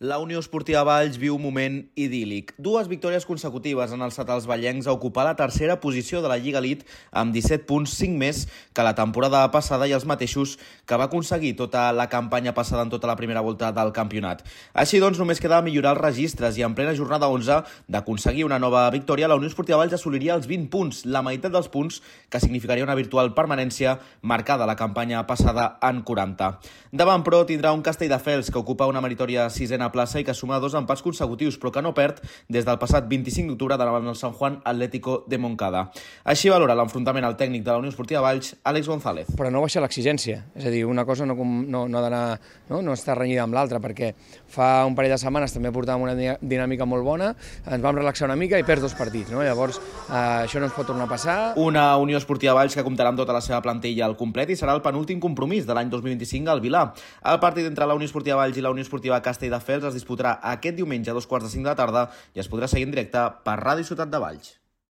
La Unió Esportiva Valls viu un moment idíl·lic. Dues victòries consecutives han alçat els vallencs a ocupar la tercera posició de la Lliga Elite amb 17 punts, 5 més que la temporada passada i els mateixos que va aconseguir tota la campanya passada en tota la primera volta del campionat. Així doncs, només queda millorar els registres i en plena jornada 11 d'aconseguir una nova victòria, la Unió Esportiva Valls assoliria els 20 punts, la meitat dels punts que significaria una virtual permanència marcada la campanya passada en 40. Davant, però, tindrà un Castelldefels que ocupa una meritòria sisena plaça i que suma 2 empats consecutius, però que no perd des del passat 25 d'octubre davant el San Juan Atlético de Moncada. Així valora l'enfrontament al tècnic de la Unió Esportiva Valls, Àlex González. Però no baixa l'exigència, és a dir, una cosa no està renyida amb l'altra, perquè fa un parell de setmanes també portàvem una dinàmica molt bona, ens vam relaxar una mica i perds 2 partits, no? Llavors això no ens pot tornar a passar. Una Unió Esportiva Valls que comptarà amb tota la seva plantilla al complet i serà el penúltim compromís de l'any 2025 al Vilar. El partit entre la Unió Esportiva Valls i la Unió Esportiva Castelldefels es disputarà aquest diumenge a 14:45 de la tarda i es podrà seguir en directe per Ràdio Ciutat de Valls.